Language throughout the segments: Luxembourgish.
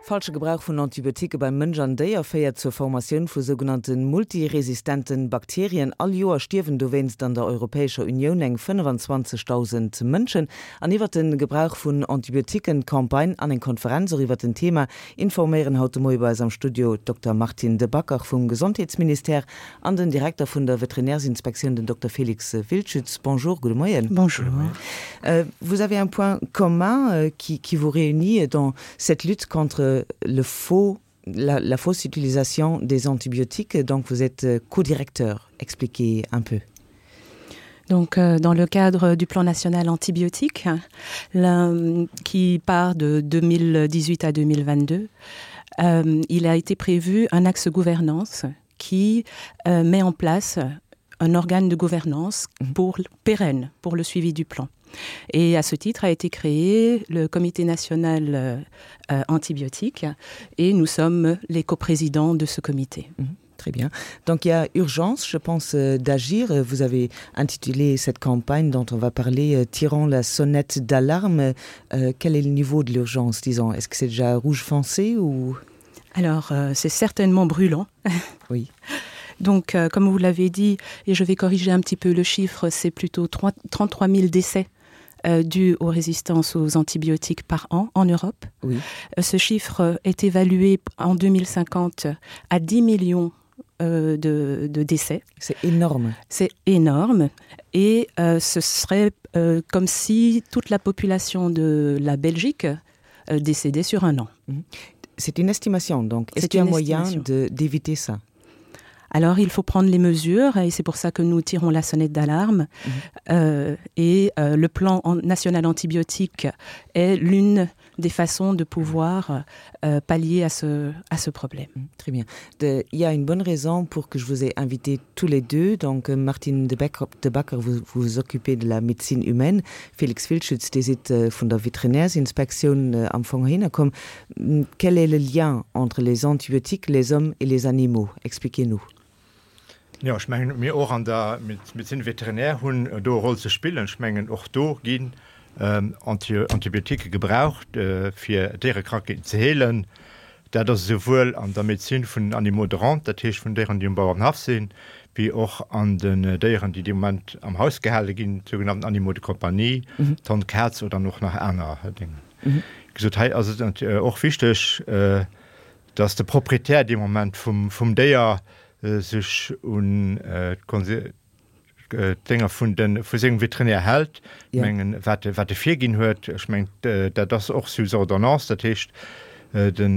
Falsche Gebrauch vun Antibioticke beim Mënsch an Déier féiert zur Formatioun vu sougenannte multiresistente Bakterien. All Joer stierwen dowéinst an der Europäescher Unioun eng 25.000 Mënschen. An iwwert de Gebrauch vun Antibioticken, d'Campagne an eng Konferenz och iwwert den Thema informéieren haut de Moie bei eis am Studio d'Dokter Martine De Backer vum Gesondheetsministère an den Direkter vun der Veterinärsinspektioun, den Dokter Félix Wildschütz. Bonjour, gudde Moien. Bonjour. Vous avez un point commun qui qui vous réunit dans cette lutte contre le faux la, la fausse utilisation des antibiotiques donc vous êtes co-directeur expliquez un peu. Donc euh, dans le cadre du plan national antibiotique qui part de 2018 à 2022, euh, il a été prévu un axe gouvernance qui euh, met en place un organe de gouvernance mhm. pour pérenne pour le suivi du plan. Et à ce titre a été créé le comité national euh, euh antibiotique et nous sommes les coprésidents de ce comité. Mmh. Très bien. Donc il y a urgence, je pense, euh, d'agir. Vous avez intitulé cette campagne dont on va parler euh, Tirant la sonnette d'alarme. Euh, quel est le niveau de l'urgence, disons Est-ce que c'est déjà rouge foncé ou Alors euh, c'est certainement brûlant. Oui. Donc euh, comme vous l'avez dit, et je vais corriger un petit peu le chiffre, c'est plutôt 3, 33 000 décès euh, dus aux résistances aux antibiotiques par an en Europe. Oui. Euh, ce chiffre est évalué en 2050 à 10 millions euh, de, de décès. C'est énorme. C'est énorme et euh, ce serait euh, comme si toute la population de la Belgique euh, décédait sur un an. Mhm. C'est une estimation donc est-ce qu'il y a un moyen d'éviter ça? Alors il faut prendre les mesures et c'est pour ça que nous tirons la sonnette d'alarme mmh. euh, et euh, le plan en, national antibiotique est l'une des façons de pouvoir euh, pallier à ce, à ce problème. Mmh, très bien. De, il y a une bonne raison pour que je vous ai invité tous les deux. Donc euh, Martine de Becker, de Backer vous vous occupez de la médecine humaine. Félix Filschütz dir sidd äh, vun der Veterinärsinspektioun äh, am Fong hinnerkomm. Quel est le lien entre les antibiotiques, les hommes et les animaux? Expliquez-nous. Jo, ech mengen, mir och an der Médecine vétérinaire hunn do e Roll ze spillen. Ech mengen, och do ginn Antibiotiquë gebraucht, fir Déierekrankheeten ze heelen. Dat ass esouwuel an der Medezin vun den Animaux de rente, dat heescht vun Déieren, déi um Bauerenhaff sinn, wéi och an den Déieren, déi dee Moment am Haus gehale ginn, d'sougenannten Animaux de compagnie, d'Hond, d'Kaz oder och nach aner Déngen. Wéi gesot, hei ass et och wichteg, dass de Proprietär dee Moment vum Déier sech un d'Konse. d'Dénger vun de vu sengem Veterinär hält, ja. mengen wat wat e virginn huet. Ech meng dat ass och sous ordonnance, dat heescht den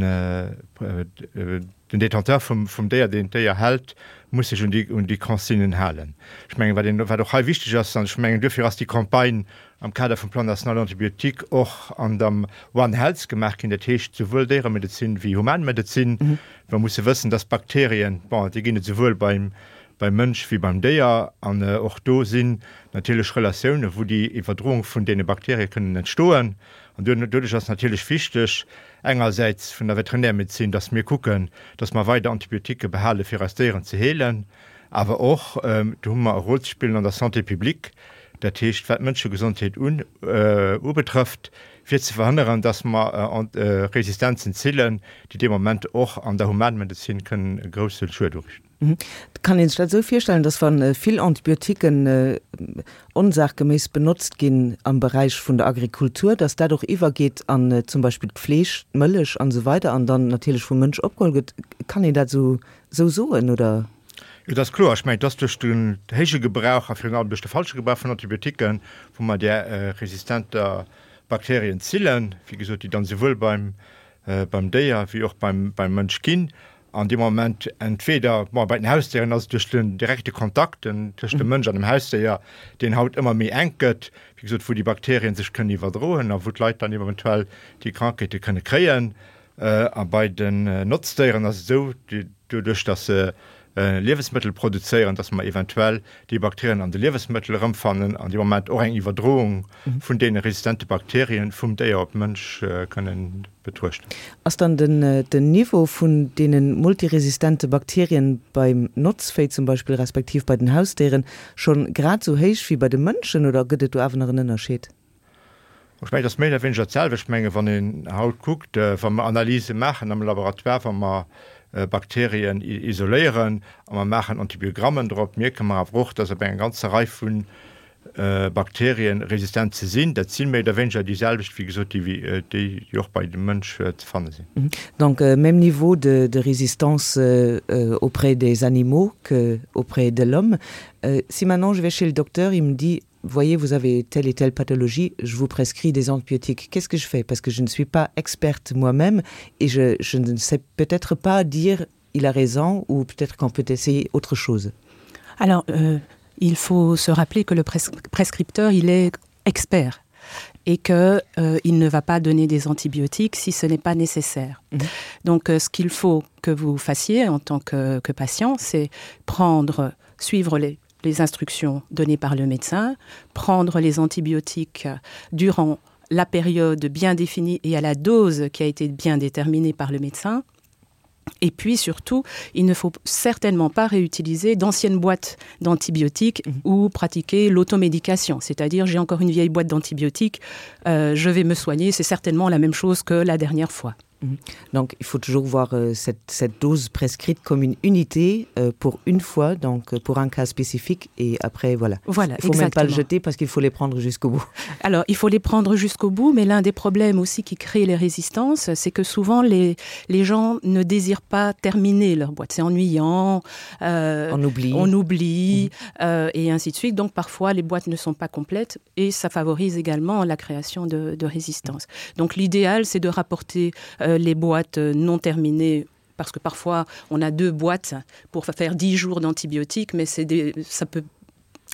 den Détenteur vum vum Déier, deen d'Déier hält, muss sech un déi un déi Consignen halen. Ech mengen wat een wat och hei wichteg ass, an ech mengen duerfir ass déi Campagne am Kader vum Plan national antibiotique och an der One Health gemaach ginn, dat heescht souwuel Déieremedezin wéi Humanmedezin. Mer musse wëssen, dass Bakterien, bon déi ginn et souwuel beim beim Mënsch wéi beim Déier, an och do sinn natierlech Relatiounen, wou déi Iwwerdroung vun deene Bakterie kënnen entstoen. An doduerch ass natierlech wichteg, engersäits vun der Veterinärmedezin, dass mir kucken, dass mer weider Antibiotiquë behale fir eis Déieren ze heelen, awer och, do hu mer e Rôle ze spillen an der Santé publique, dat heescht wat d'Mënschegesondheet ubetrëfft, fir ze verhënneren, dass mer Resistenzen zillen, déi dee Moment och an der Humanmedezin kënnen e grousse Schued uriichten. Kann een sech dat esou virstellen, dass wa vill Antibiotiquen onsachgeméiss benotzt ginn am Beräich vun der Agrikultur, dass dat och iwwergeet an zum Beispill d'Fleesch, d'Mëllech an esou weider an dann natierlech vum Mënsch opgeholl gëtt? Kann een dat esou esou soen, oder? Jo, dat ass kloer. Ech mengen, et ass duerch den héije Gebrauch a virun allem duerch de falsche Gebrauch vun Antibiotiquen, wou mer där resistenter Bakterien zillen, wéi gesot, déi dann esouwuel beim beim Déier wéi och beim beim Mënsch ginn. An deem Moment entweder, bon, bei den Hausdéieren ass et duerch den direkte Kontakt den, tëscht dem Mënsch an dem Hausdéier, deen haut ëmmer méi enk gëtt, wéi gesot, wou déi Bakterien sech kënnen iwwerdroen a wou d'Leit dann eventuell déi Krankheete kënne kréien. A bei den Notzdéieren ass et esou, doduerch datt se Liewesmëttel produzéieren, datt mer eventuell déi Bakterien an de Liewesmëttel erëmfannen an dee Moment och eng Iwwerdroung vun deene resistente Bakterien vum Déier op d'Mënsch kënnen betruechten. Ass dann den Niveau vun deene multiresistente Bakterien beim Notzvéi zum Beispill, respektiv bei den Hausdéieren, schonn grad esou héich wéi bei de Mënschen oder gëtt et do awer nach en Ënnerscheed? Ech mengen, et ass méi oder wéineger d'selwecht. Ech mengen, wann een haut kuckt, wa mer Analyse maachen am Laboratoire, wa mer Bakterien isoléieren a mer maachen Antibiogrammen drop, mierke mer awer och, dass op enger ganzer Rei vu Bakterien resistent ze sinn. Dat si méi oder wéineger déi selwecht, wéi gesot, déi, déi och bei dem Mënsch ze fanne sinn. Donc même niveau de, de résistance auprès des animaux que auprès de l'homme. Si maintenant je vais chez le docteur, il me dit voyez vous avez telle et telle pathologie je vous prescris des antibiotiques qu'est-ce que je fais parce que je ne suis pas experte moi-même et je, je ne sais peut-être pas dire il a raison ou peut-être qu'on peut essayer autre chose alors euh, il faut se rappeler que le pres prescripteur il est expert et que euh, il ne va pas donner des antibiotiques si ce n'est pas nécessaire mmh. donc euh, ce qu'il faut que vous fassiez en tant que, que patient c'est prendre suivre les les instructions données par le médecin, prendre les antibiotiques durant la période bien définie et à la dose qui a été bien déterminée par le médecin. Et puis surtout, il ne faut certainement pas réutiliser d'anciennes boîtes d'antibiotiques mmh. ou pratiquer l'automédication, c'est-à-dire j'ai encore une vieille boîte d'antibiotiques, euh, je vais me soigner, c'est certainement la même chose que la dernière fois. Mhm. Donc il faut toujours voir euh, cette, cette dose prescrite comme une unité euh, pour une fois, donc euh, pour un cas spécifique et après voilà. voilà il faut même pas le jeter parce qu'il faut les prendre jusqu'au bout. Alors il faut les prendre jusqu'au bout, mais l'un des problèmes aussi qui crée les résistances, c'est que souvent les, les gens ne désirent pas terminer leur boîte. C'est ennuyant, euh, on oublie, on oublie mmh. euh, et ainsi de suite. Donc parfois les boîtes ne sont pas complètes et ça favorise également la création de, de résistance. Donc l'idéal c'est de rapporter euh, les boîtes non terminées parce que parfois on a deux boîtes pour faire 10 jours d'antibiotiques mais c'est des ça peut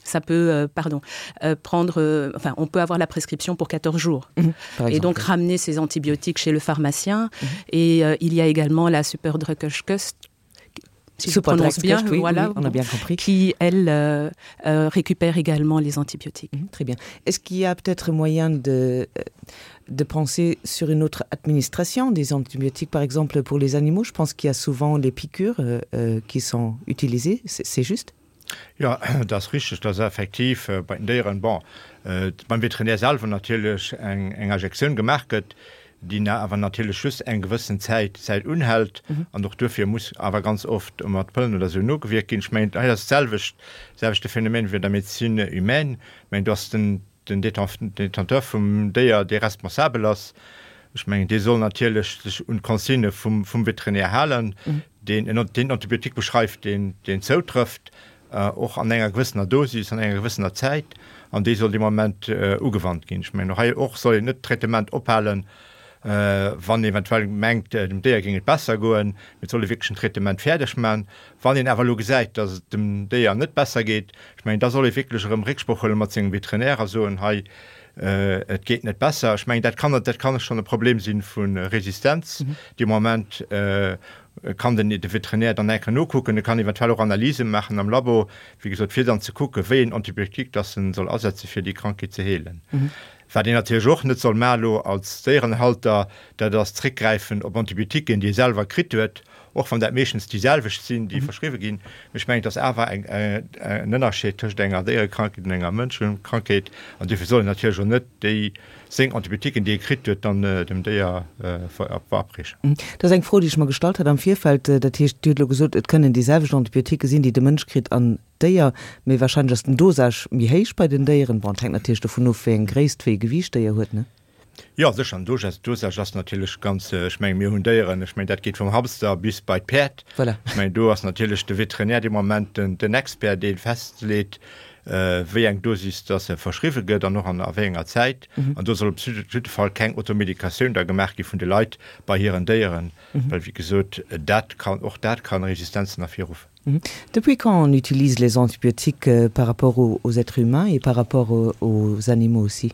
ça peut euh, pardon euh, prendre euh, enfin on peut avoir la prescription pour 14 jours mmh, et donc ramener ces antibiotiques chez le pharmacien mmh. et euh, il y a également la super drugkust si je prononce bien oui, voilà, oui, on a bien compris qui elle euh, euh, récupère également les antibiotiques mmh, très bien est-ce qu'il y a peut-être moyen de euh, de penser sur une autre administration des antibiotiques par exemple pour les animaux je pense qu'il y a souvent les piqûres euh, euh, qui sont utilisées c'est juste Jo, dat ass richteg, dass effektiv bei den Déieren, bon, beim Veterinär selwer natierlech eng Injektioun gemaach gëtt, déi awer natierlech just eng gewëssen Zäit Zäit unhält an och duerfir muss awer ganz oft mat Pëllen oder esou nogewierkt ginn. Ech mengen, hei ass d'selwecht, selwechte Phänomen wéi an der Médecine humaine. Ech mengen, do ass den den Détenteur vum Déier, dee responsabel ass. Ech mengen, dee soll natierlech sech un d'Consignë vum Veterinär halen, deen den Antibiotique beschreift, deen zoutrëfft, och an enger gewëssener Dosis, an enger gewëssener Zäit, an dee soll dee Moment ugewannt ginn. Ech mengen, och hei och soll een net d'Traitement ophalen, wann eventuell mengt, dem Déier géing et besser goen, mee et soll ee wierklech den Traitement fäerdeg man. Wann een awer elo gesäit, dass et dem Déier net besser geet, ech mengen, da soll ee wierklech erëm Récksproch huele mat sengem Veterinär a soen, hei, et geet net besser. Ech mengen, dat kann, dat kann schonn e Problem si vu Resistenz. Dee Moment kann den de Veterinär dann eng Kéier nokucken, e kann eventuell och Analyse maachen am Labo, wéi gesot, fir dann ze kucken, wéi een Antibiotique dass en soll asetze fir déi Krankheet ze heelen. Wat een natierlech och net soll maachen elo als Déierenhalter, dat ass zréckgräifen op Antibiotiquen, déi ee selwer kritt huet, och wann dat meeschtens déi selwecht sinn, déi verschriwwe ginn. Mee ech mengen, et ass awer en Ënnerscheed tëscht enger Déierekrankheet an enger Mënschekrankheet. An duerfir soll een natierlech och net déi seng Antibiotiquen, déi ee kritt huet, dann dem Déier verabreechen. Dat ass eng Fro, déi ech mer gestallt hat am Virfeld. Dat heescht, Dir hutt elo gesot, et kënnen déi selwecht Antibiotiquen sinn, déi de Mënsch kritt an Déier, mee wahrscheinlech ass den Dosage méi héich bei den Déieren. Bon, et hänkt natierlech dovun of, wéi eng Gréisst, wéi e Gewiicht d'Déier huet, ne? Jo, sécher, den Dosage, Dosage ass natierlech ganz, ech mengen, mir hunn Déieren, ech mengen, dat geet vum Hamster bis bei d'Päerd. Voilà. Ech mengen, do ass natierlech de Veterinär dee Moment den, den Expert, dee festleet, wéi eng Dosis dass se verschriwwe gëtt an och an a wéi enger Zäit. An do soll op jidde Fall keng Automedikatioun da gemaach gi vun de Leit bei hiren Déieren, well, wéi gesot, dat kann, och dat kann Resistenzen ervirruffen. Depuis quand on utilise les antibiotiques euh, par rapport aux, aux êtres humains et par rapport aux, aux animaux aussi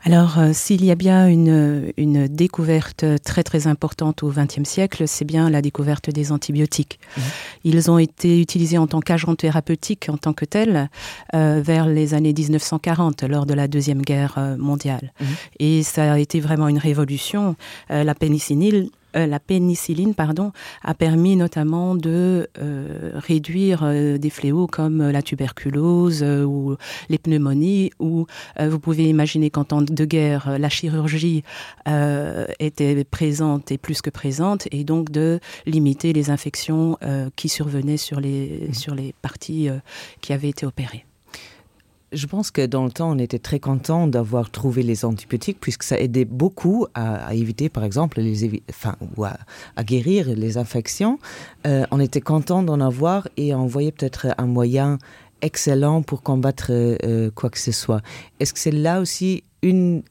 Alors euh, s'il y a bien une, une découverte très très importante au XXe siècle, c'est bien la découverte des antibiotiques. Mmh. Ils ont été utilisés en tant qu'agents thérapeutiques en tant que tels euh, vers les années 1940 lors de la deuxième guerre euh, mondiale. Mmh. Et ça a été vraiment une révolution. Euh, la pénicilline. euh, la pénicilline pardon a permis notamment de euh, réduire euh, des fléaux comme euh, la tuberculose euh, ou les pneumonies où euh, vous pouvez imaginer qu'en temps de guerre euh, la chirurgie euh, était présente et plus que présente et donc de limiter les infections euh, qui survenaient sur les mmh. sur les parties euh, qui avaient été opérées. Je pense que dans le temps, on était très content d'avoir trouvé les antibiotiques puisque ça aidait beaucoup à, à éviter par exemple les enfin, ou à, à guérir les infections. Euh, on était content d'en avoir et on voyait peut-être un moyen excellent pour combattre euh, quoi que ce soit. Est-ce que c'est là aussi une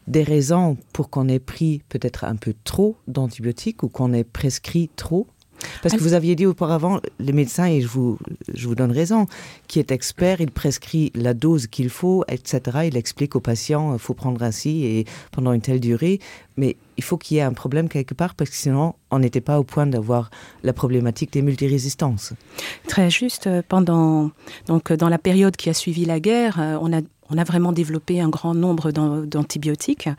des raisons pour qu'on ait pris peut-être un peu trop d'antibiotiques ou qu'on ait prescrit trop? Parce que vous aviez dit auparavant, les médecins, et je vous, je vous donne raison, qui est expert, il prescrit la dose qu'il faut, etc. Il explique aux patients, il faut prendre ainsi et pendant une telle durée. Mais il faut qu'il y ait un problème quelque part parce que sinon, on n'était pas au point d'avoir la problématique des multirésistances. Très juste, euh, pendant, donc, euh, dans la période qui a suivi la guerre, euh, on a on a vraiment développé un grand nombre d'antibiotiques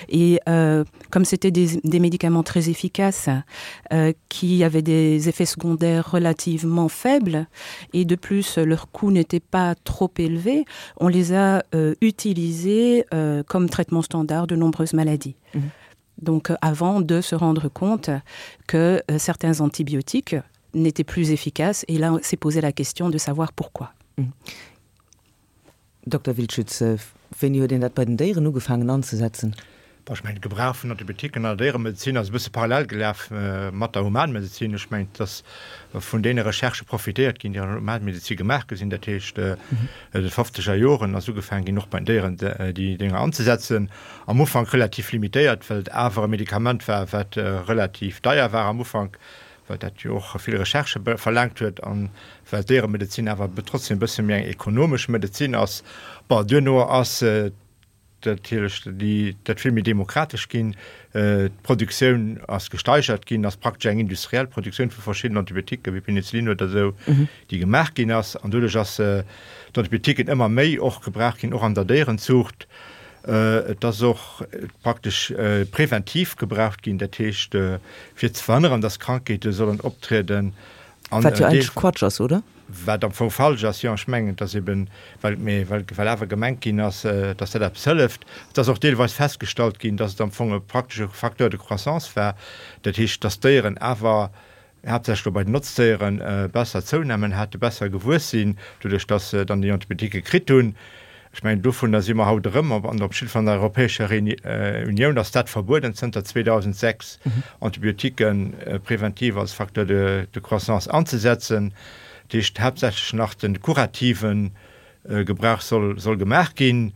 et euh, comme c'était des, des médicaments très efficaces euh, qui avaient des effets secondaires relativement faibles et de plus leur coût n'était pas trop élevé, on les a euh, utilisés euh, comme traitement standard de nombreuses maladies. Mmh. Donc euh, avant de se rendre compte que euh, certains antibiotiques n'étaient plus efficaces et là s'est posé la question de savoir pourquoi. Mmh. Dokter Wildschütz, wéini huet een dat bei den Déieren ugefaangen anzesetzen? Bon, ech mengen, de Gebrauch vun Antibiotiquen an der Déieremedezin ass e bësse parallel gelaf mat der Humanmedezin. Ech mengen, et ass vun deene Recherchë profitéiert ginn, déi an der Humanmedezin gemaach gi sinn. Dat heescht, de fofzeger Joren ass ugefaangen ginn, och bei den Déieren déi Dénger anzesetzen. Am Ufank relativ limitéiert, well et awer e Medikament war, wat relativ deier war am Ufank. well dat jo och vill Recherchë verlaangt huet an well d'Déieremedezin awer trotzdem e bësse méi eng ekonomesch Medezin ass. Bon, duerno ass natierlech déi dat vill méi demokratesch ginn, d'Produktioun ass gesteigert ginn, ass praktesch eng industriell Produktioun vu verschiddenen Antibiotiquen, wéi Penicillin oder esou, déi gemaach ginn ass. An doduerch ass d'Antibiotiquen ëmmer méi och gebraucht ginn, och an der Déierenzuucht. Et ass och praktesch preventiv gebraucht ginn, dat heescht fir ze verhënneren, dass Krankheete sollen optrieden. Wat jo eigentlech Quatsch ass, oder? Wat am Fong falsch ass, jo. Ech mengen, et ass eben, well, mee well, well awer gemengt ginn ass, dass dat eppes hëlleft. Et ass och deelweis festgestallt ginn, dass et am Fong e praktesche Facteur de croissance war, dat heescht, dass d'Déieren awer haaptsächlech elo bei den Notzdéieren, besser zounamen hate, besser gewuess sinn, doduerch datt se dann déi Antibiotiquë kritt hunn. Ech mengen, dovunner si mer haut erëm, an op jidde Fall an der Europäescher Unioun ass dat verbueden zënter 2006, Antibiotiquë preventiv als Facteur de croissance anzesetzen. Dat heescht, haaptsächlech nach de kurativen Gebrauch soll gemaach ginn.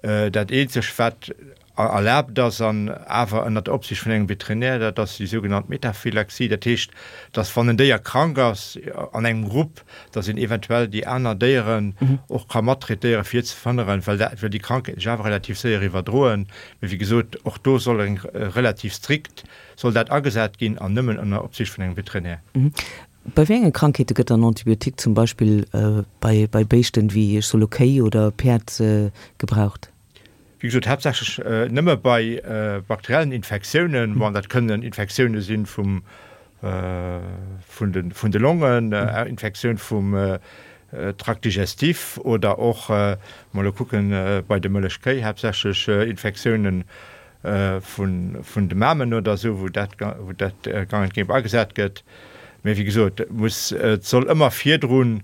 Dat eenzeg, wat erlaabt ass, an awer ënner der Opsicht vun engem Veterinär, dat ass déi sougenannt Metaphylaxie. Dat heescht, dass wann en Déier krank ass an engem Grupp, dass een eventuell déi aner Déieren och ka mattraitéieren, fir ze verhënneren, well dat, well déi Krankheeten sech awer relativ séier iwwerdroen. Mee wéi gesot, och do soll eng relativ strikt soll dat agesat ginn an nëmmen ënner Opsicht vun engem Veterinär. Bei wéi enge Krankheete gëtt dann Antibiotique zum Beispill bei bei Béischten, wéi ech soe lo Kéi oder Päerd, gebraucht? Wéi gesot, haaptsächlech nëmme bei bakteriellen Infektiounen. Bon, dat kënnen Infektioune sinn vum, vun de, vun de Longen, Infektioun vum Tract digestif oder och, mol elo kucken, bei de Mëllechkéi haaptsächlech Infektiounen vun, vun de Mamen oder esou, wou dat, wou dat gang und gäbe agesat gëtt. Mee wéi gesot, et muss, et soll ëmmer virdrun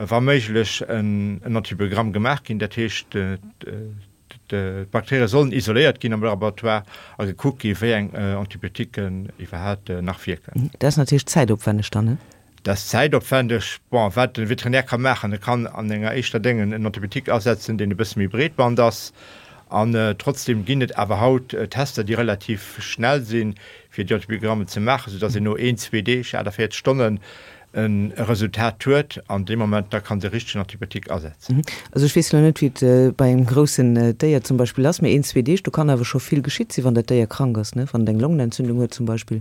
wa méiglech en Antibiogramm gemaach ginn, dat heescht d'Bakterie sollen isoléiert ginn am Laboratoire a gekuckt gi wéi eng Antibiotiquen iwwerhaapt nach wierken. Dat ass natierlech zäitopwänneg dann, ne? Dat ass zäitopwänneg. Bon, wat de Veterinär ka maachen, e kann an enger éischter Déngen en Antibiotique asetzen, deen e bësse méi breetband ass. An trotzdem ginn et awer haut Tester, déi relativ schnell sinn, fir déi Antibiogrammen ze maachen, soudass een no een, zwee Deeg, 48 Stonnen, e Resultat huet an deem Moment da kann de richtegen Antibiotique asetzen. Also ech weess elo net wéi et bei engem groussen Déier zum Beispill ass, mee een, zwee Deeg, do kann awer scho vill geschitt sinn, wann dat Déier krank ass, ne? Wann et eng Longenentzündung huet zum Beispill,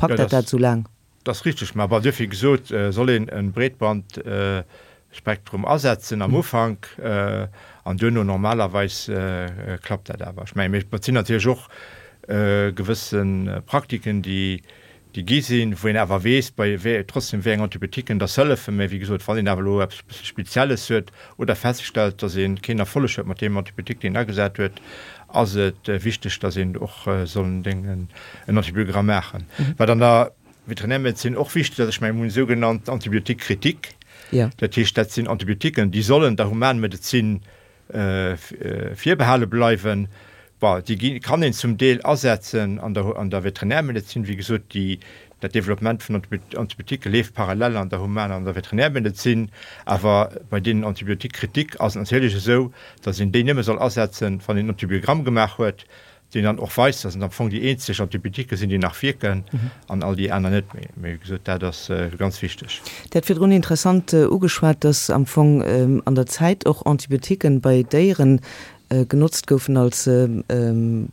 packt dat dat esou laang? Dat ass richteg, mä bon, duerfir gesot, soll een e Breetbandspektrum asetzen am Ufank an duerno normalerweis klappt dat awer. Ech mengen, mir sinn natierlech och. gewësse Praktiken, déi déi gi sinn, wou een awer weess, bei wéi trotzdem wéi eng Antibiotiquen dass hëllefen. Mä wéi gesot, wann een awer elo eppes bësse Spezielles huet oder feststellt, dass ee keen Erfolleg huet mat deem Antibiotique, deen een agesat huet, ass et wichteg, dass een och soll en Antibiogramm maachen. Wat an der Veterinärmedezin och wichteg ass, ech mengen, mir hunn sougenannt Antibiotique critiques, dat heescht, dat sinn Antibiotiquen, déi sollen der Humanmedezin virbehale bleiwen. Bon, déi gi kann een zum Deel asetzen an der an der Veterinärmedezin. Wéi gesot, déi dat Développement vun Antibiotiquë leeft parallel an der Human an der Veterinärmedezin. Awer bei deenen Antibiotiques critiques ass et natierlech esou, datt een déi nëmme soll asetzen, wann een en Antibiogramm gemaach huet, deen dann och weist, dass et am Fong déi eenzeg Antibiotiquë sinn, déi nach wierken an all déi aner net méi. Mee wéi gesot, dat ass ganz wichteg. Dir hat virdrun interessant ugeschwat, dass am Fong an der Zäit och Antibiotiquen bei Déieren genotzt goufen als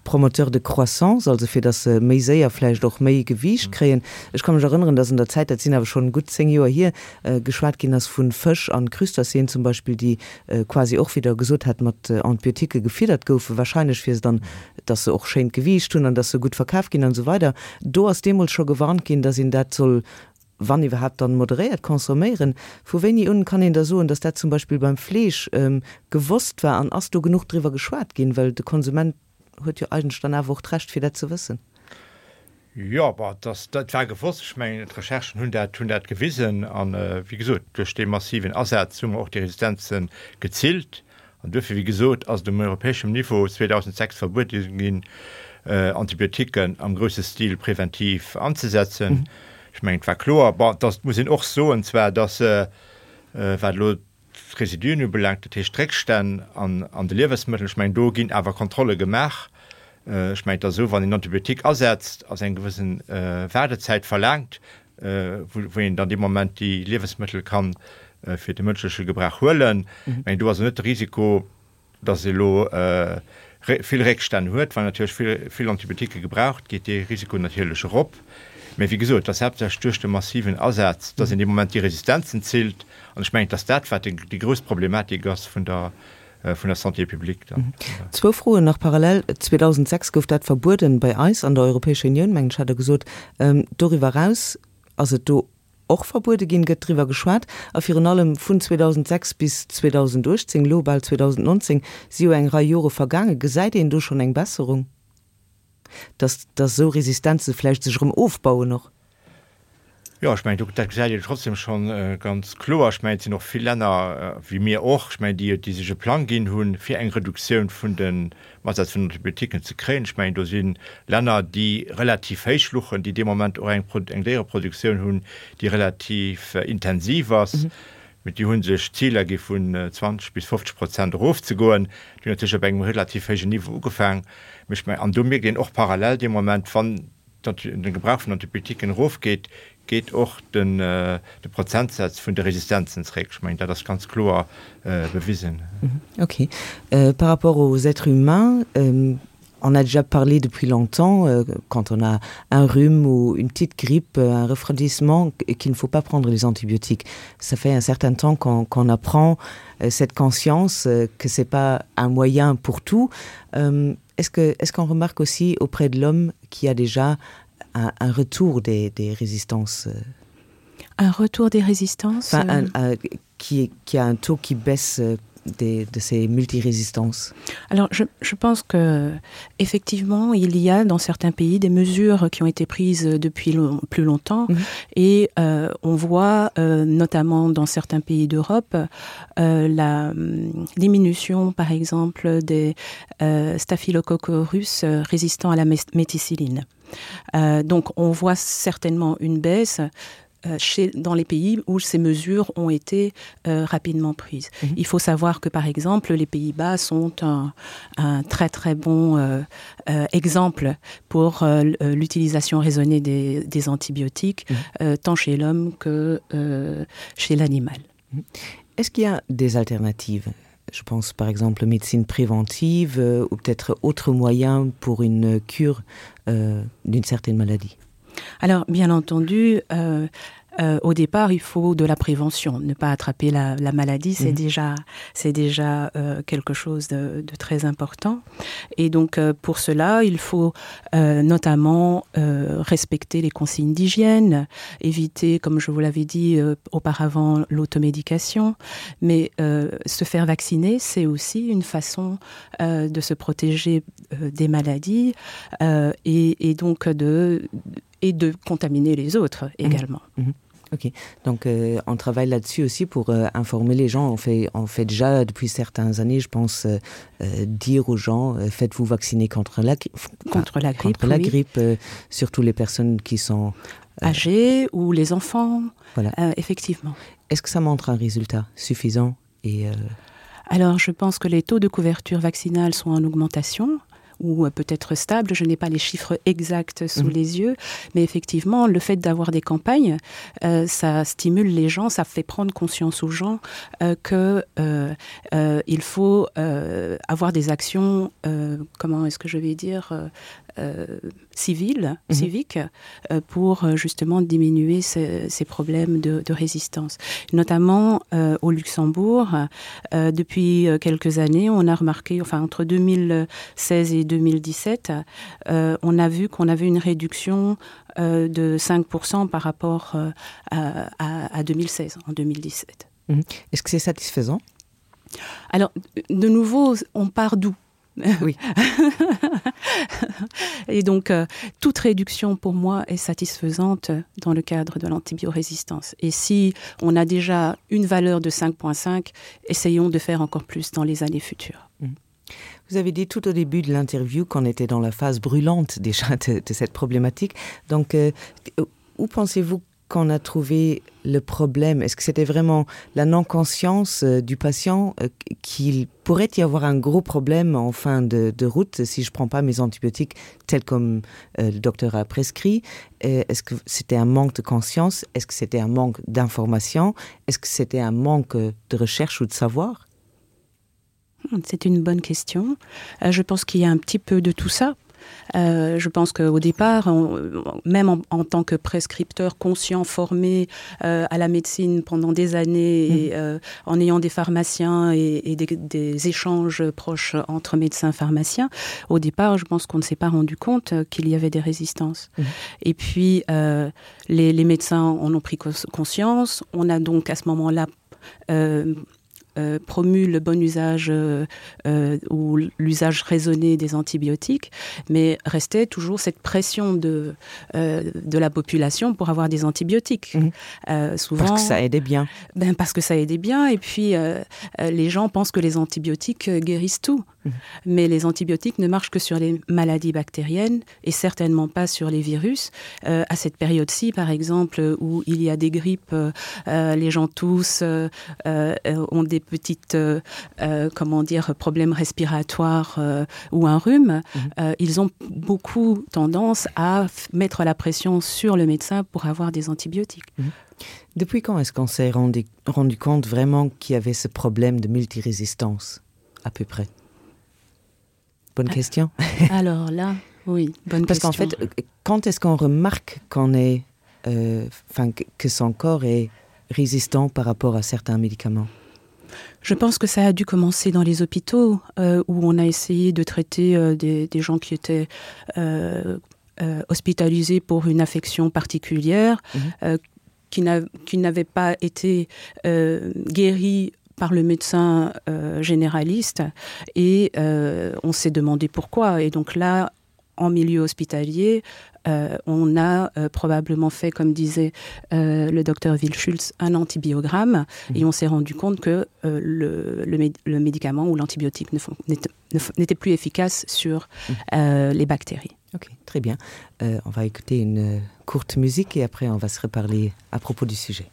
Promoteur de croissance, also fir dass se méi séier vläicht och méi Gewiicht kréien. Ech ka mech erënneren, dass an der Zäit, dat sinn awer schonn gutt 10 Joer hier, geschwat ginn ass vu Fësch an Crustacéen zum Beispill, déi quasi och, wéi Der gesot hat, mat Antibiotiquë gefiddert goufen, wahrscheinlech fir se dann, dass se och schéint Gewiicht hunn an dass se gutt verkaf ginn an esou weider. Do ass deemools scho gewarnt ginn, dass een dat soll, wann iwwerhaapt, dann moderéiert consomméieren. Vu wéini un kann een da soen, dass dat zum Beispill beim Fleesch gewosst war an ass do genuch driwwer geschwat ginn? Well de Konsument huet jo eigentlech dann awer och d'Recht fir dat ze wëssen. Jo, bon, dass, dat war gewosst. Ech mengen, d'Recherchen hunn dat, hunn dat gewisen. An, wéi gesot, duerch dee massiven Asaz hu mer och déi Resistenze gezillt. An duerfir, wéi gesot, ass et um europäeschem Niveau 2006 verbuede ginn, Antibiotiquen am grousse Stil preventiv anzesetzen. Ech mengen, et war kloer. Bon, dass, et muss een och soen zwar, dass, wat elo d'Residuen ubelaangt, dat heescht d'Réckstänn an de Liewesmëttelen, ech mengen, do ginn awer Kontrolle gemaach. Ech mengen, et ass esou, wann een Antibiotique asetzt, ass eng gewëssen Waardezäit verlaangt, wou een dann dee Moment déi Liewesmëttel ka fir de mënschleche Gebrauch huelen. Ech mengen, do ass net de Risiko, Dass ee elo vill Réckstänn huet, well natierlech vill, vill Antibiotiquë gebraucht geet dee Risiko natierlech erop. Mä wéi gesot, et ass haaptsächlech duerch de massiven Asaz, dass een dee Moment déi Resistenzen zillt. An ech mengen, et ass dat, wat déi grouss Problematik ass vun der, vun der Santé publique dann. Zwou Froen nach parallel. 2006 gouf dat verbueden bei eis an der Europäescher Unioun, mengen ech, hat Der gesot. Doriwwer eraus, ass et do och verbuede ginn, gëtt driwwer geschwat. A virun allem vun 2006 bis 2018, elo bal 2019, si jo eng Rei Jore vergaangen. Gesäit een do schonn eng Besserung, dass dass esou Resistenze vläicht sech erëm ofbauen och? Jo, ech mengen, do dat gesäit een trotzdem schonn ganz kloer. Ech mengen, et sinn och vill Länner, wéi mir och, ech mengen, déi déi sech e Plang ginn hunn, fir eng Reduktioun vun den Asaz vun Antibiotiquen ze kréien. Ech mengen, do si Länner, déi relativ héich luchen, déi dee Moment och eng eng Déiereproduktioun hunn, déi relativ intensiv ass. Mee déi hu sech Ziler gi vun 20 bis 50 Prozent erofzegoen. Déi hunn natierlech op engem relativ héijen Niveau ugefaang. Mee ech mengen, an do mierkt een och parallel dee Moment, wann de Gebrauch vun Antibiotiquen erofgeet, geet och de Prozentsaz vun de Resistenzen zréck. Ech mengen, dat ass ganz kloer bewisen. Ok. Par rapport aux êtres humains, on a déjà parlé depuis longtemps, quand on a un rhume ou une petite grippe, un refroidissement, qu'il ne faut pas prendre les antibiotiques. Ça fait un certain temps qu'on qu'on apprend cette conscience que c'est pas un moyen pour tout. Est-ce que est-ce qu'on remarque aussi auprès de l'homme qui a déjà un, un retour des, des résistances euh Un retour des résistances enfin, un, euh, un, qui, qui a un taux qui baisse euh, des, de ces multirésistances Alors je, je pense que effectivement il y a dans certains pays des mesures qui ont été prises depuis long, plus longtemps mmh. et euh, on voit euh, notamment dans certains pays d'Europe euh, la euh, diminution par exemple des euh, staphylocoques russes euh, résistants à la méticilline. Euh, donc on voit certainement une baisse euh, chez, dans les pays où ces mesures ont été euh, rapidement prises. Mmh. Il faut savoir que par exemple les Pays-Bas sont un, un très très bon euh, euh, exemple pour euh, euh l'utilisation raisonnée des, des antibiotiques mmh. euh, tant chez l'homme que euh, chez l'animal. Mmh. Est-ce qu'il y a des alternatives Je pense par exemple médecine préventive euh, ou peut-être autres moyens pour une cure euh, d'une certaine maladie. Alors bien entendu, euh, Euh, au départ, il faut de la prévention, ne pas attraper la, la maladie, c'est mmh. déjà, déjà euh, quelque chose de, de très important. Et donc euh, pour cela, il faut euh, notamment euh, respecter les consignes d'hygiène, éviter, comme je vous l'avais dit euh, auparavant, l'automédication, mais euh, se faire vacciner, c'est aussi une façon euh, de se protéger euh, des maladies euh, et, et donc de, et de contaminer les autres mmh. également. Mmh. Ok, donc euh, on travaille là-dessus aussi pour euh, informer les gens. On fait, on fait déjà depuis certaines années, je pense, euh, euh, dire aux gens euh, faites-vous vacciner contre la, contre la grippe, contre la oui. grippe euh, surtout les personnes qui sont euh, âgées ou les enfants. Voilà. Euh, effectivement. Est-ce que ça montre un résultat suffisant et, euh... Alors je pense que les taux de couverture vaccinale sont en augmentation ou euh, peut-être stable, je n'ai pas les chiffres exacts sous mmh. les yeux, mais effectivement le fait d'avoir des campagnes, euh, ça stimule les gens, ça fait prendre conscience aux gens euh, que euh, euh, il faut euh, avoir des actions euh, comment est-ce que je vais dire euh, euh, civile mmh. civique euh, pour euh, justement diminuer ces, ces problèmes de, de résistance notamment euh, au Luxembourg euh, depuis euh, quelques années on a remarqué enfin entre 2016 et 2017 euh, on a vu qu'on avait une réduction euh, de 5 par rapport euh, à, à, à 2016 en 2017 mmh. est-ce que c'est satisfaisant alors de nouveau on part d'où oui. et donc euh, toute réduction pour moi est satisfaisante dans le cadre de l'antibiorésistance. Et si on a déjà une valeur de 5.5, essayons de faire encore plus dans les années futures. Mmh. Vous avez dit tout au début de l'interview qu'on était dans la phase brûlante déjà de, de cette problématique. Donc euh, où pensez-vous qu'on a trouvé le problème Est-ce que c'était vraiment la non-conscience euh, du patient euh, qu'il pourrait y avoir un gros problème en fin de, de route si je prends pas mes antibiotiques tels comme euh, le docteur a prescrit Est-ce que c'était un manque de conscience Est-ce que c'était un manque d'information Est-ce que c'était un manque de recherche ou de savoir C'est une bonne question. Euh, je pense qu'il y a un petit peu de tout ça. Euh, je pense qu'au départ, on, même en, en tant que prescripteur conscient formé euh, à la médecine pendant des années mmh. et euh, en ayant des pharmaciens et, et des, des échanges proches entre médecins pharmaciens, au départ, je pense qu'on ne s'est pas rendu compte qu'il y avait des résistances. Mmh. Et puis euh, les, les médecins en ont pris conscience. On a donc à ce moment-là euh, euh, promu le bon usage euh, euh, ou l'usage raisonné des antibiotiques, mais restait toujours cette pression de, euh, de la population pour avoir des antibiotiques. Mmh. Euh, souvent parce que ça aidait bien. Ben, parce que ça aidait bien et puis euh, euh les gens pensent que les antibiotiques euh, guérissent tout. Mmh. Mais les antibiotiques ne marchent que sur les maladies bactériennes et certainement pas sur les virus. Euh, à cette période-ci, par exemple, où il y a des grippes, euh, euh les gens tous euh, euh, ont des petites euh, euh, comment dire problèmes respiratoires euh, ou un rhume, mmh. euh, ils ont beaucoup tendance à mettre la pression sur le médecin pour avoir des antibiotiques. Mmh. Depuis quand est-ce qu'on s'est rendu, rendu compte vraiment qu'il y avait ce problème de multirésistance à peu près Bonne ah. question. Alors là, oui, bonne Parce qu'en fait, euh, quand est-ce qu'on remarque qu'on est euh, que son corps est résistant par rapport à certains médicaments Je pense que ça a dû commencer dans les hôpitaux euh, où on a essayé de traiter euh, des, des gens qui étaient euh, euh, hospitalisés pour une affection particulière mmh. euh, qui n'avait pas été euh, guérie par le médecin euh, généraliste et euh, on s'est demandé pourquoi et donc là en milieu hospitalier euh, on a euh, probablement fait comme disait euh, le docteur Wilschulz un antibiogramme mmh. et on s'est rendu compte que euh, le, le, le médicament ou l'antibiotique n'était plus efficace sur mmh. euh, les bactéries. Ok, très bien. Euh, on va écouter une courte musique et après on va se reparler à propos du sujet.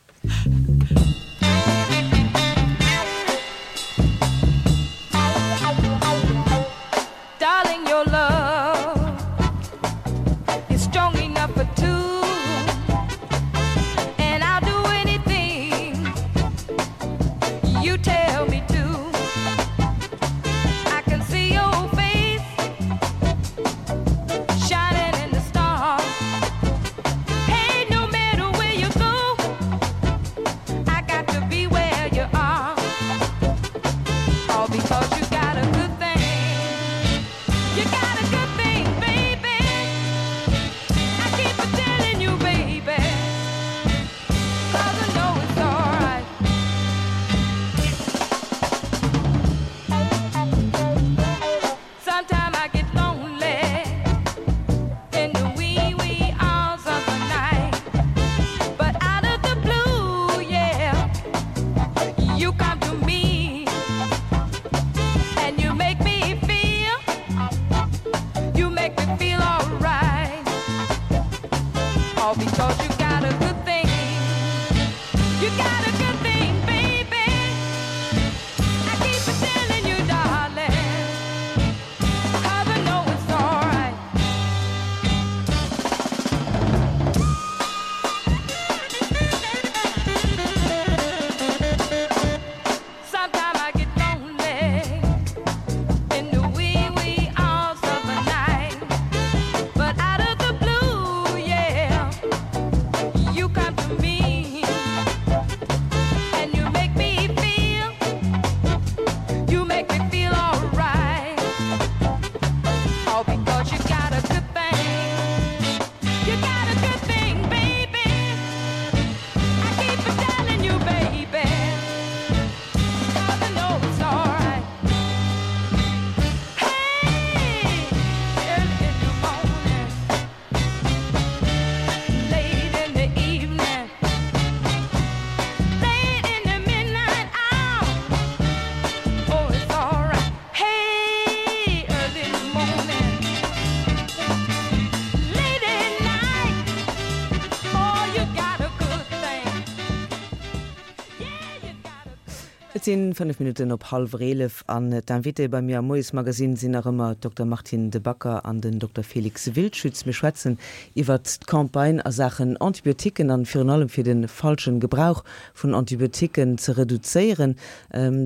Et sinn 5 Minutten op hallwer 11 an d'Invitéë bei mir am Moiesmagazin sinn nach ëmmer d'Dokter Martine De Backer an den Dokter Félix Wildschütz. Mir schwätzen iwwert d'Campagne a Saachen Antibiotiquen an virun allem fir de falschen Gebrauch vun Antibiotiquen ze reduzéieren.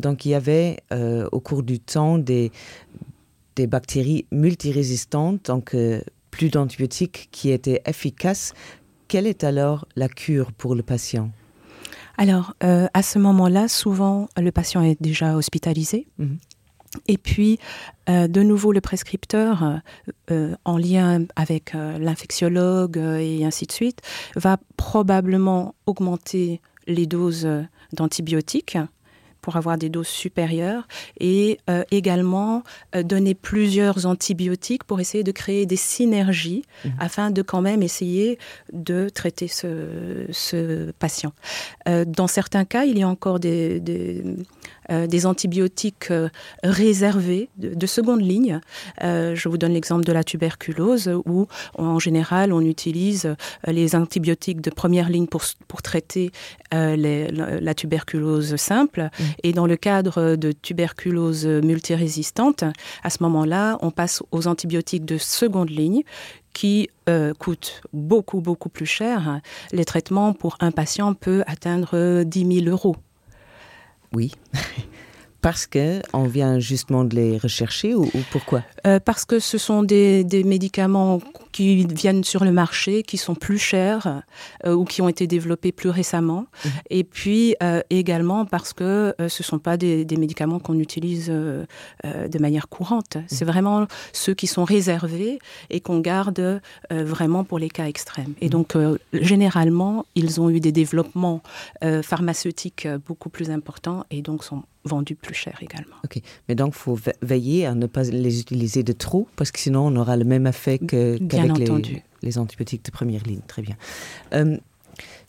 Donc il y avait au cours du temps des des bactéries multirésistantes, donc plus d'antibiotiques qui étaient efficaces. Quelle est alors la cure pour le patient? Alors euh, à ce moment-là, souvent le patient est déjà hospitalisé. Mmh. Et puis euh, de nouveau le prescripteur euh, en lien avec euh, l'infectiologue euh, et ainsi de suite va probablement augmenter les doses d'antibiotiques pour avoir des doses supérieures et euh, également euh, donner plusieurs antibiotiques pour essayer de créer des synergies mmh. afin de quand même essayer de traiter ce, ce patient. Euh, dans certains cas, il y a encore des, des, euh, des antibiotiques euh, réservés de, de seconde ligne. Euh, je vous donne l'exemple de la tuberculose où en général on utilise euh, les antibiotiques de première ligne pour, pour traiter euh, les, la, la tuberculose simple. Mmh. Et dans le cadre de tuberculose multirésistante, à ce moment-là, on passe aux antibiotiques de seconde ligne qui euh, coûtent beaucoup beaucoup plus cher. Les traitements pour un patient peut atteindre 10 000 euros. Oui. Parce que on vient justement de les rechercher ou, ou pourquoi euh, Parce que ce sont des, des médicaments qui viennent sur le marché, qui sont plus chers euh, ou qui ont été développés plus récemment. Mmh. Et puis euh, également parce que euh, ce ne sont pas des, des médicaments qu'on utilise euh, euh, de manière courante. Mmh. C'est vraiment ceux qui sont réservés et qu'on garde euh, vraiment pour les cas extrêmes. Et mmh. donc euh, généralement, ils ont eu des développements euh, pharmaceutiques euh, beaucoup plus importants et donc sont vendus plus cher également. Ok, mais donc faut veiller à ne pas les utiliser de trop parce que sinon on aura le même effet qu'avec que les, les antibiotiques de première ligne. Très bien. Euh,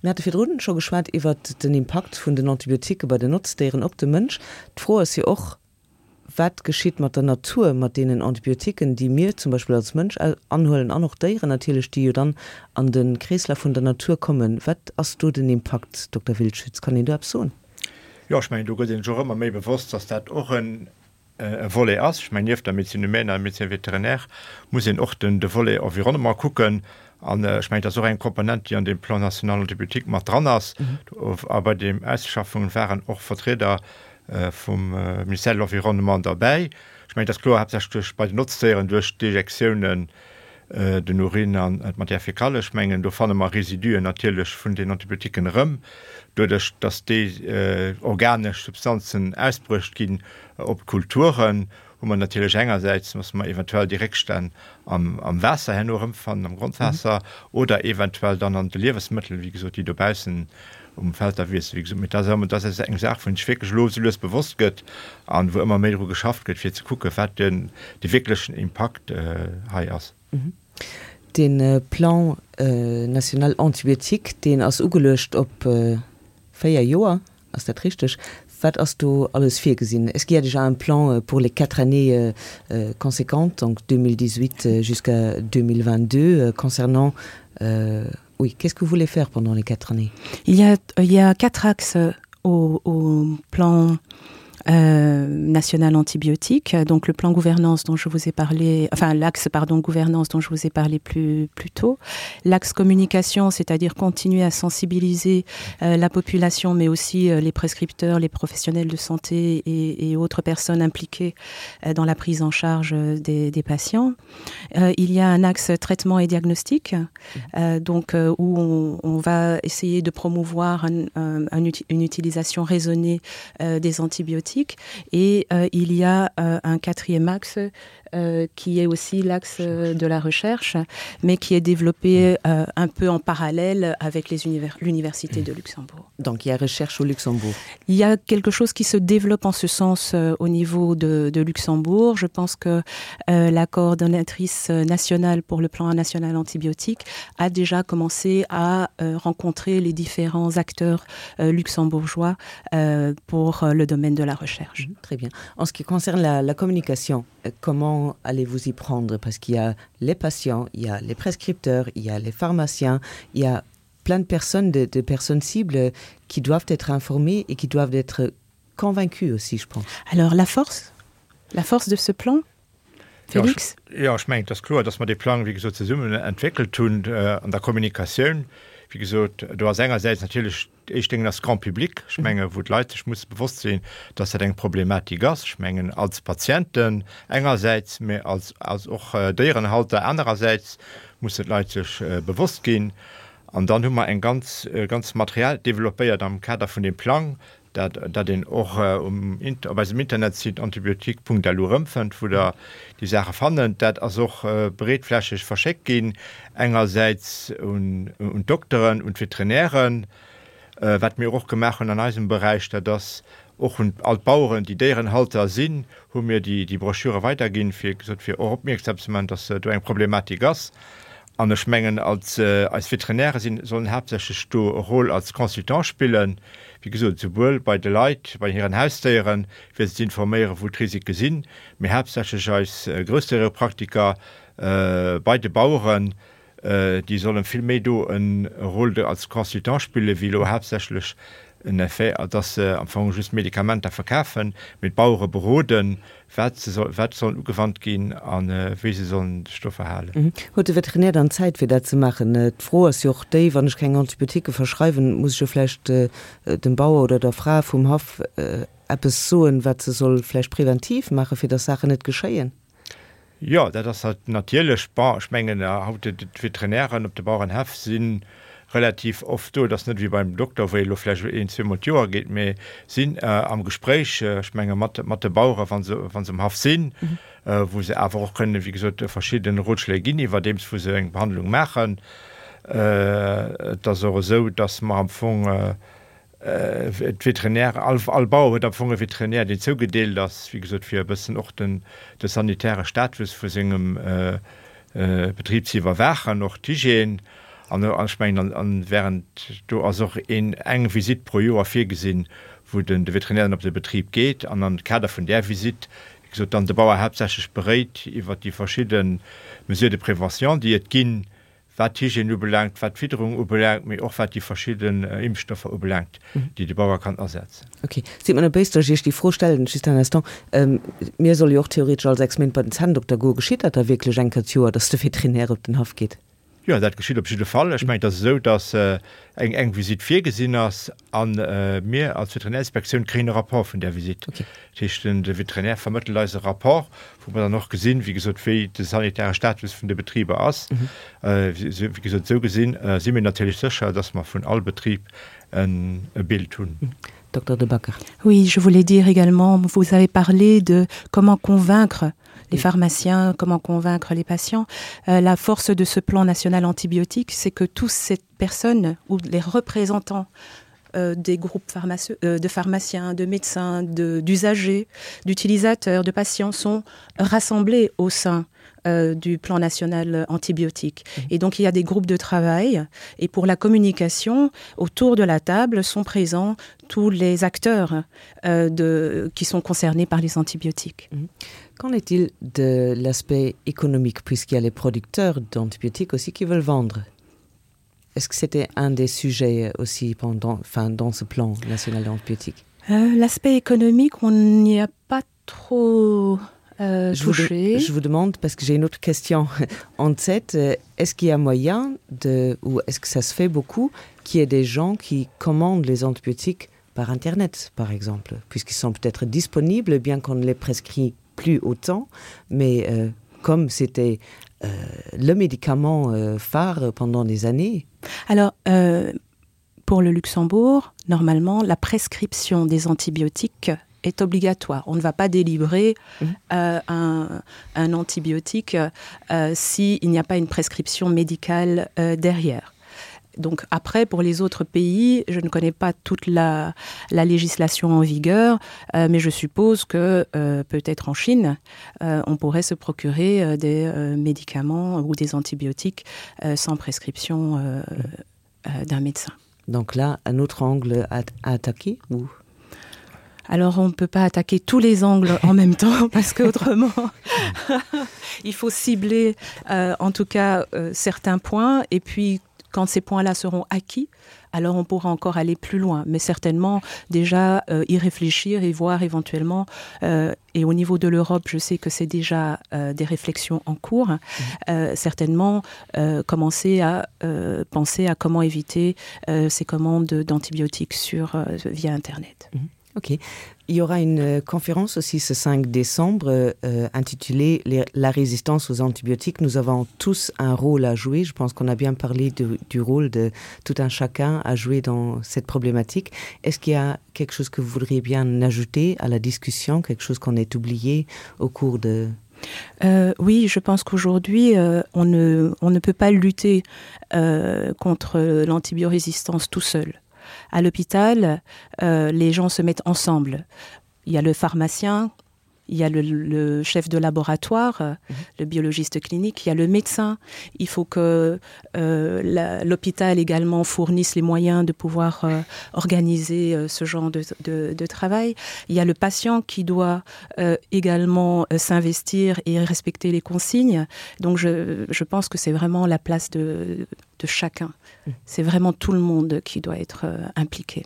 Mir hate virdrun scho geschwat iwwert den Impakt vun den Antibiotiquë bei den Notzdéieren op de Mënsch. D'Fro ass jo och, Wat geschitt mat der Natur, mat deenen Antibiotiquen, déi mir zum Beispill als Mënsch anhuelen an och Déieren natierlech, déi jo dann an de Kreeslaf vun der Natur kommen? Wat ass do den Impakt, Dokter Wildschütz? Kann een do eppes soen? Jo, ech mengen, do gëtt een sech och ëmmer méi bewosst, dass dat och e Volet ass. Ech mengen, nieft der Médecine humaine an der Médecine vétérinaire muss een och den de Volet Environnement kucken. An ech mengen, dat ass och eng Komponent, déi an deem Plan national antibiotique mat dran ass. A bei deem Ausschaffungen waren och Vertrieder vum Ministère de l'Environnement derbäi. Ech mengen, et ass kloer, haaptsächlech duerch bei den Notzdéieren, duerch d'Ejektiounen, den Urin an d'Matière fécale. Ech mengen, do fanne mer Residuen natierlech vun den Antibiotiquen erëm, doduerch datt déi organesch Substanzen ausbruecht ginn op d'Kulturen, hu mer natierlech engersäits, dass mer eventuell déi Réckstänn am Waasser herno erëmfannen, am Grondwaasser, oder eventuell dann an de Liewesmëttel, wéi gesot, déi dobaussen um Feld da wiessen. Wéi gesot, mee dat ass, dat ass eng Saach, wou een sech wierklech elo esou lues bewosst gëtt an wou ëmmer méi dru geschafft gëtt, fir ze kucken, wat den, de wierklechen Impakt hei ass. Dee Plan national antibiotique, deen ass ugeluecht op 4 Joer, ass dat richteg? Wat ass do alles virgesinn? Est-ce qu'il y a déjà un plan pour les quatre années conséquentes, donc 2018 jusqu'à 2022, concernant Oui, qu'est-ce que vous voulez faire pendant les quatre années Il y a, il y a quatre axes au, au plan euh, national antibiotique, donc le plan gouvernance dont je vous ai parlé, enfin l'axe pardon gouvernance dont je vous ai parlé plus, plus tôt, l'axe communication, c'est-à-dire continuer à sensibiliser euh, la population, mais aussi euh, les prescripteurs, les professionnels de santé et, et autres personnes impliquées euh, dans la prise en charge euh, des, des patients. Euh, il y a un axe traitement et diagnostic, euh, donc euh, où on, on va essayer de promouvoir un, un, un, une utilisation raisonnée euh, des antibiotiques et euh, il y a euh, un quatrième axe euh, qui est aussi l'axe euh, de la recherche, mais qui est développé euh, un peu en parallèle avec l'université de Luxembourg. Donc il y a recherche au Luxembourg. Il y a quelque chose qui se développe en ce sens euh, au niveau de, de Luxembourg. Je pense que euh, la coordonnatrice nationale pour le plan national antibiotique a déjà commencé à euh, rencontrer les différents acteurs euh, luxembourgeois euh, pour euh, le domaine de la recherche. Mmh, très bien. En ce qui concerne la, la communication, euh, comment allez-vous y prendre Parce qu'il y a les patients, il y a les prescripteurs, il y a les pharmaciens, il y a plein de personnes de, de personnes cibles qui doivent être informées et qui doivent être. convaincu aussi, je pense. Alors la force la force de ce plan Félix? Jo, ech mengen, et ass kloer, dass mer dee Plang, wéi gesot, zesummen entwéckelt hunn an der Kommunikatioun. Wéi gesot, do ass engersäits natierlech d'éischt Déngen ass Grand public, ech menge wou d'Leit sech musse bewosst sinn, dass dat eng Problematik ass. Ech mengen als Patienten engersäits, mä als als och Déierenhalter anerersäits mussen d'Leit sech bewosst ginn. An dann hu mer eng ganz ganz Material developpéiert am Kader vun deem Plang, dat dat een och um op eisem Internetsite antibiotique.lu erëmfënnt, wou Der déi Saache fannen. Dat ass och breetflächeg verschéckt ginn, engersäits un un d'Dokteren, un d'Veterinären. Wat mir och gemaach hunn an eisem Beräich, dat ass och un all d'Baueren, déi Déierenhalter sinn, hu mir déi déi Broschüre weiderginn, fir gesot fir och opmierksam ze maachen, dass do eng Problematik ass. An ech mengen, als eis Veterinäre sinn, sollen haaptsächlech do e Rôle als Consultant spillen, wéi gesot, souwuel bei de Leit, bei hiren Hausdéieren, fir se ze informéieren, wou d'Risike sinn, mee haaptsächlech eis Groussdéierepraktiker bei de Baueren, déi sollen vill méi do e Rôle als Consultant spillen, wéi elo haaptsächlech en effet, dass se am Fong just Medikamenter verkafen, mee d'Bauere beroden, wat se soll, wat soll ugewannt ginn a wéi se sollen sech do verhalen. Huet de Veterinär dann Zäit fir dat ze maachen? D'Fro ass jo och déi, wann ech keng Antibiotiquë verschreiwen, muss ech jo vläicht dem Bauer oder der Fra vum Haff eppes soen, wat se soll vläicht preventiv maachen, fir datt Saachen net geschéien. Jo, dat ass natierlech. Bon, ech mengen haut, d'Veterinären op de Bauerenhäff si relativ oft do. Et ass net wéi beim Dokter, wou ee elo vläicht een, zweemol d'Joer geet, mee sinn am Gespréich, ech menge mat, mat de Bauere wa se, wa se um Haff sinn, wou se awer och kënnen, wéi gesot, verschidde Rotschléi ginn, iwwerdeems wou se eng Behandlung maachen. Et ass och esou, datt mer am Fong, D'Veterinäre, all, all Bauer huet am Fong e Veterinär, deen zougedeelt ass, wéi gesot, fir e bëssen och den, de sanitäre Status vu sengem Betrib ze iwwerwaachen, och d'Hygiène. An ech mengen, an, an während do ass och een, eng Visitt pro Joer virgesinn, wou den, de Veterinär dann op de Betrib geet an am Kader vun där Visitt, wéi gesot, dann de Bauer haaptsächlech beréit iwwert déi verschidde Mesures de prévention, déi et ginn, wat d'Hygiène ubelaangt, wat d'Fidderung ubelaangt, mee och wat déi verschidden Impfstoffer ubelaangt, déi de Bauer kann asetzen. Ok. Sidd mer net béis, datt ech Iech déi Fro stellen, just un instant. Mir solle jo och theoretesch all 6 Méint bei den Zänndokter goen. Geschitt dat da wierklech eng Kéier d'Joer, datt de Veterinär op den Haff geet? Jo, dat geschitt op jidde Fall. Ech mengen, et ass esou, datt eng eng Visitt virgesinn ass a mir als Veterinärinspektioun kréien e Rapport vun där Visitt. Dat heescht, de Veterinär vermëttelt eis e Rapport, wou mer dann och gesinn, wéi gesot, wéi de sanitäre Status vun de Betriber ass. Wéi gesot, esou gesinn si mir natierlech sécher, dass mer vun all Betrib e Bild hunn. Docteur De Backer. Oui, je voulais dire également, vous avez parlé de comment convaincre les pharmaciens, comment convaincre les patients. Euh, la force de ce plan national antibiotique, c'est que toutes ces personnes ou les représentants euh, des groupes euh, de pharmaciens, de médecins, d'usagers, d'utilisateurs, de patients sont rassemblés au sein euh, du plan national antibiotique. Mmh. Et donc il y a des groupes de travail et pour la communication autour de la table sont présents tous les acteurs euh, de, qui sont concernés par les antibiotiques. Mmh. Qu'en est-il de l'aspect économique puisqu'il y a les producteurs d'antibiotiques aussi qui veulent vendre? Est-ce que c'était un des sujets aussi pendant enfin dans ce plan national antibiotique euh, L'aspect économique, on n'y a pas trop euh, je, vous touché. je vous demande parce que j'ai une autre question en tête est-ce qu'il y a moyen de ou est-ce que ça se fait beaucoup qu'il y ait des gens qui commandent les antibiotiques par internet par exemple puisqu'ils sont peut-être disponibles bien qu'on ne les prescrit plus autant mais euh, comme c'était euh, le médicament euh, phare pendant des années alors euh, pour le luxembourg normalement la prescription des antibiotiques est obligatoire on ne va pas délivrer mmh. euh, un, un antibiotique euh, si il n'y a pas une prescription médicale euh, derrière donc après pour les autres pays je ne connais pas toute la, la législation en vigueur euh, mais je suppose que euh, peut-être en chine euh, on pourrait se procurer euh, des euh, médicaments ou des antibiotiques euh, sans prescription euh, euh, d'un médecin donc là un autre angle à, à attaquer ou alors on ne peut pas attaquer tous les angles en même temps parce que autrement il faut cibler euh, en tout cas euh, certains points et puis quand. Quand ces points-là seront acquis, alors on pourra encore aller plus loin, mais certainement déjà euh, y réfléchir et voir éventuellement euh, et au niveau de l'Europe, je sais que c'est déjà euh, des réflexions en cours, mmh. euh, certainement euh, commencer à euh, penser à comment éviter euh, ces commandes d'antibiotiques sur euh, via internet. Mmh. Ok. Il y aura une euh, conférence aussi ce 5 décembre euh, intitulée les, La résistance aux antibiotiques. Nous avons tous un rôle à jouer. Je pense qu'on a bien parlé de, du rôle de tout un chacun à jouer dans cette problématique. Est-ce qu'il y a quelque chose que vous voudriez bien ajouter à la discussion, quelque chose qu'on ait oublié au cours de... Euh, oui, je pense qu'aujourd'hui, euh, on, ne, on ne peut pas lutter euh, contre l'antibiorésistance tout seul à l'hôpital, euh, les gens se mettent ensemble. Il y a le pharmacien, il y a le, le chef de laboratoire, mmh. le biologiste clinique, il y a le médecin. Il faut que euh, l'hôpital également fournisse les moyens de pouvoir euh, organiser euh, ce genre de, de, de travail. Il y a le patient qui doit euh, également euh, s'investir et respecter les consignes. Donc je, je pense que c'est vraiment la place de, de chacun. Mmh. C'est vraiment tout le monde qui doit être euh, impliqué.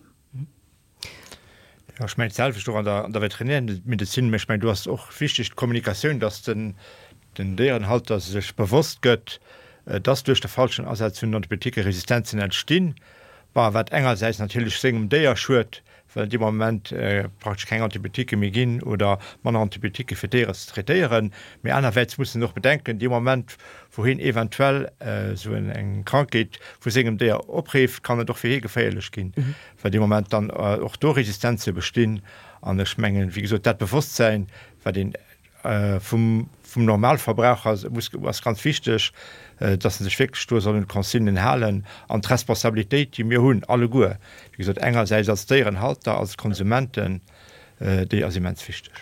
Jo, ech mengen d'selwecht och an der, an der Veterinärmedezin, mä ech mengen do ass och wichteg d'Kommunikatioun, dass den, den Déierenhalter sech bewosst gëtt, dass duerch de falschen Asaz vun den Antibiotiquë Resistenzen entstinn, bon, wat engersäits natierlech sengem Déier schued, well dee Moment praktesch keng Antibiotiquë méi ginn oder manner Antibiotiquë fir d'Déiere ze traitéieren, mee anerwäits muss en och bedenken, dee Moment wou hien eventuell esou eng Krankheet vu sengem Déier opreeft, kann et och fir hie geféierlech ginn. well dee Moment dann och do Resistenze bestinn. An ech mengen, wéi gesot, dat Bewosstsäin, wat een vum Normalverbraucher muss, ass ganz wichteg, dass en sech wierklech do soll un d'Consignen halen an d'Responsabilitéit, déi mir hunn alleguer, wéi gesot, engersäits als Déierenhalter, als Konsumenten, déi ass immens wichteg.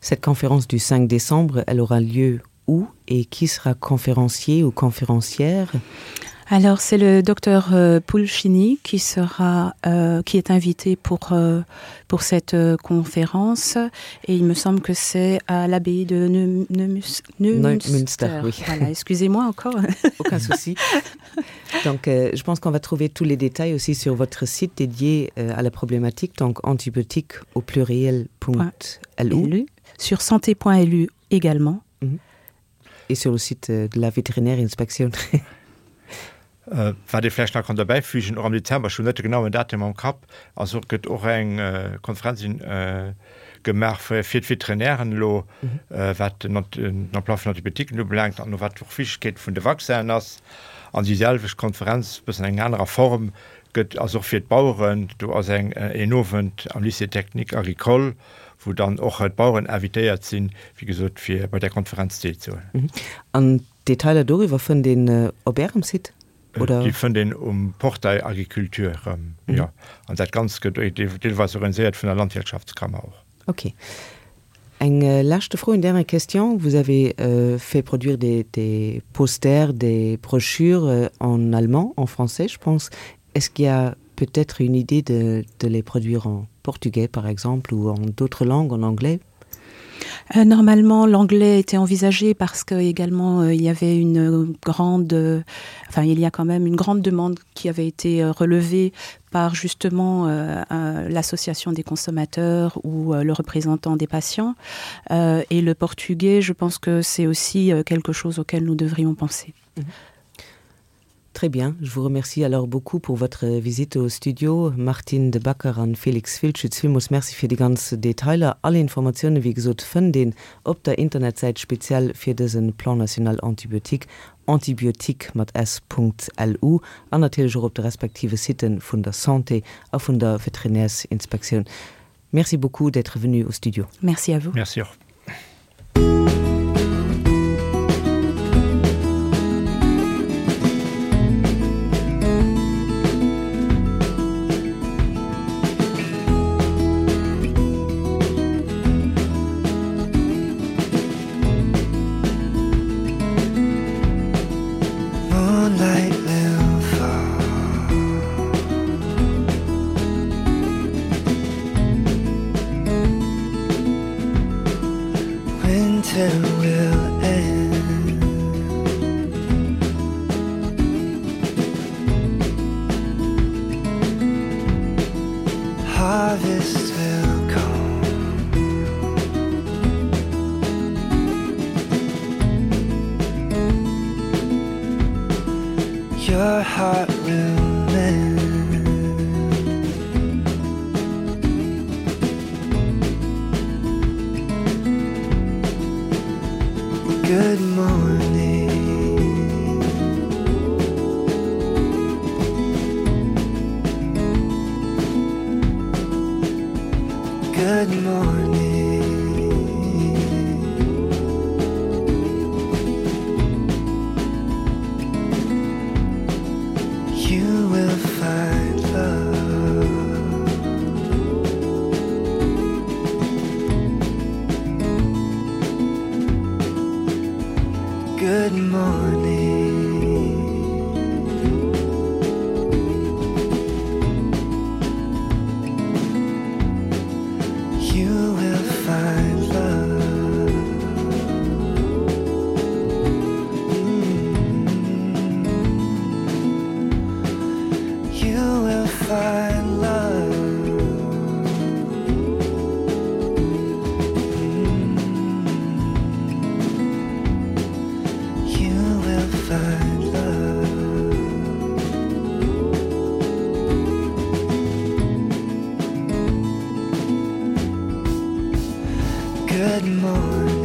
Cette conférence du 5 décembre, elle aura lieu où et qui sera conférencier ou conférencière? Alors c'est le docteur euh, Pulcini qui sera euh, qui est invité pour, euh, pour cette euh, conférence et il me semble que c'est à l'abbaye de Neumünster. Oui. Voilà, excusez-moi encore. Aucun souci. Donc euh, je pense qu'on va trouver tous les détails aussi sur votre site dédié euh, à la problématique donc antibiotique au pluriel.lu sur santé.lu également. Mm -hmm. Et sur le site euh, de la vétérinaire inspection. Äh, wat ee vläicht nach kann derbäifügen, och am Dezember, ech hunn net de genauen Datum am Kapp, also gëtt och eng äh, Konferenz in, äh, gemaach fir, fir d'Veterinären elo, mhm. äh, wat den, den Emploi vun Antibiotiken ubelaangt an wat och Wichtigkeet vun de Vaccinen ass. An déi selwecht Konferenz, bëssen eng anerer Form, gëtt ass och fir d'Baueren. Do ass eng een Owend am Lycée technique agricole, wou dann och d'Baueren invitéiert sinn, wéi gesot, fir bei där Konferenz deelzehuelen. An d'Detailer doriwwer fënnt een op Ärem Site, oder? Déi fënnt een um Portail Agriculture erëm, jo. An dat Ganzt gëtt deelweis organiséiert vun der Landwirtschaftskammer och. Ok. Eng leschte Fro, une dernière question. Vous avez fait produire des des posters, des brochures en allemand, en français, je pense. Est-ce qu'il y a peut-être une idée de de les produire en portugais, par exemple, ou en d'autres langues, en anglais? Euh, normalement, l'anglais était envisagé parce que également euh, il y avait une grande euh, enfin il y a quand même une grande demande qui avait été euh, relevée par justement euh, euh, l'association des consommateurs ou euh, le représentant des patients euh, et le portugais je pense que c'est aussi euh, quelque chose auquel nous devrions penser. Mmh. Très bien, je vous remercie alors beaucoup pour votre visite au studio. Martine de Backer an Félix Wildschütz, villmools Merci fir déi ganz Detailer. All Informatioune wéi gesot fënnt een op der Internetsäit speziell fir dëse Plan national antibiotique, antibiotique mat s.lu an natierlech och op de respektive Siten vun der Santé a vun der Veterinärsinspektioun. Merci beaucoup d'être venu au studio. Merci à vous. Merci och. Your heart will mend. Good morning. Good morning. You will find love. Good morning. You will find love. Mm. You will find love. Mm. You will find love. Good morning.